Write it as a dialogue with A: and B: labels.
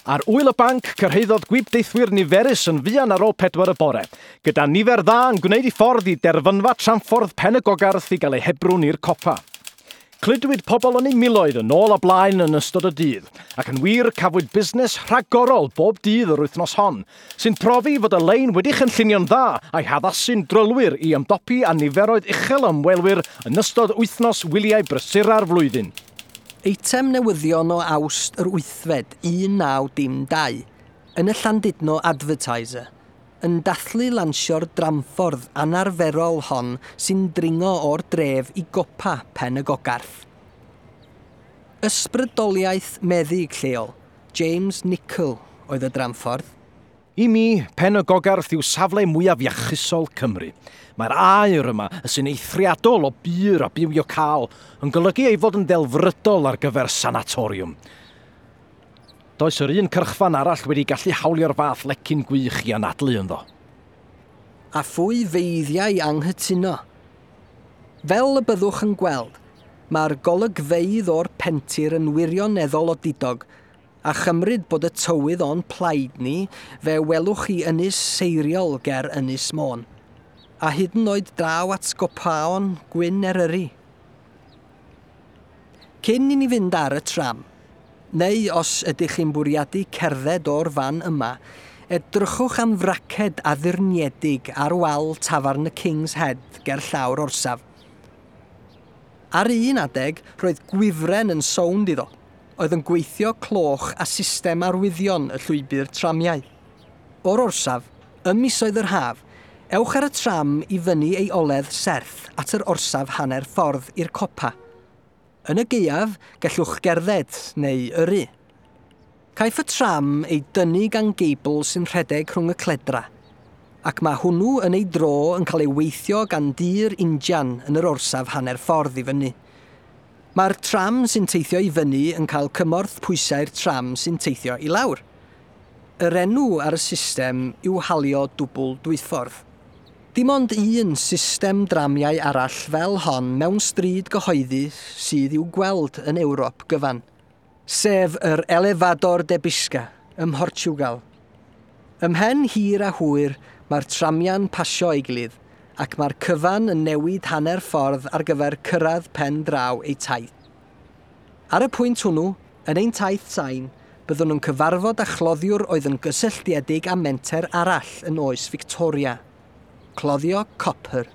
A: Ar ŵyl y banc, cyrhaeddodd gwibdeithwyr niferus yn fuan ar ôl 4 y bore, gyda nifer dda yn gwneud i ffordd i derfynfa tramffordd Pen y Gogarth i gael eu hebrwng i'r copa. Cludwyd pobl yn eu miloedd yn ôl a blaen yn ystod y dydd, ac yn wir cafwyd busnes rhagorol bob dydd yr wythnos hon, sy'n profi fod y lein wedi chynllunio'n dda a'i haddasu'n drylwyr i ymdopi â niferoedd uchel o ymwelwyr yn ystod wythnos wyliau brysura'r flwyddyn.
B: Eitem newyddion o Awst yr wythfed, 1912, yn y Llandudno Advertiser, yn dathlu lansio'r dramffordd anarferol hon sy'n dringo o'r dref i gopa Pen y Gogarth. Ysbrydoliaeth meddyg lleol, James Nicholl, oedd y dramffordd.
A: I mi, Pen y Gogarth yw safle mwyaf iachusol Cymru. Mae'r aer yma, sy'n eithriadol o bur a bywiocaol, yn golygu ei fod yn ddelfrydol ar gyfer sanatoriwm. Does yr un cyrchfan arall wedi gallu hawlio'r fath lecyn gwych i anadlu ynddo.
B: A phwy feiddiau anghytuno? Fel y byddwch yn gweld, mae'r golygfeydd o'r pentir yn wirioneddol odidog, a chymryd bod y tywydd o'n plaid ni, fe welwch chi Ynys Seiriol ger Ynys Môn, a hyd yn oed draw at gopaon Gwyn Eryri. Cyn i ni fynd ar y tram, neu os ydych chi'n bwriadu cerdded o'r fan yma, edrychwch am fraced addurniedig ar wal tafarn y King's Head ger llawr orsaf. Ar un adeg, roedd gwifren yn sownd iddo, oedd yn gweithio cloch a system arwyddion y llwybr tramiau. O'r orsaf, ym misoedd yr haf, ewch ar y tram i fyny ei oledd serth at yr orsaf hanner ffordd i'r copa. Yn y gaeaf, gallwch gerdded neu yrru. Caiff y tram ei dynnu gan geibl sy'n rhedeg rhwng y cledra, ac mae hwnnw yn ei dro yn cael ei weithio gan dir injan yn yr orsaf hanner ffordd i fyny. Mae'r tram sy'n teithio i fyny yn cael cymorth pwysau'r tram sy'n teithio i lawr. Yr enw ar y system yw halio dwbl dwyffordd. Dim ond un system dramiau arall fel hon mewn stryd gyhoeddus sydd i'w gweld yn Ewrop gyfan, sef yr Elevador de Bisca ym Mhortiwgal. Ymhen hir a hwyr, mae'r tramiau'n pasio ei gilydd, ac mae'r cyfan yn newid hanner ffordd ar gyfer cyrraedd pen draw eu taith. Ar y pwynt hwnnw, yn ein taith sain, byddwn yn cyfarfod â chloddiwr oedd yn gysylltiedig â menter arall yn oes Victoria. Cloddio copr.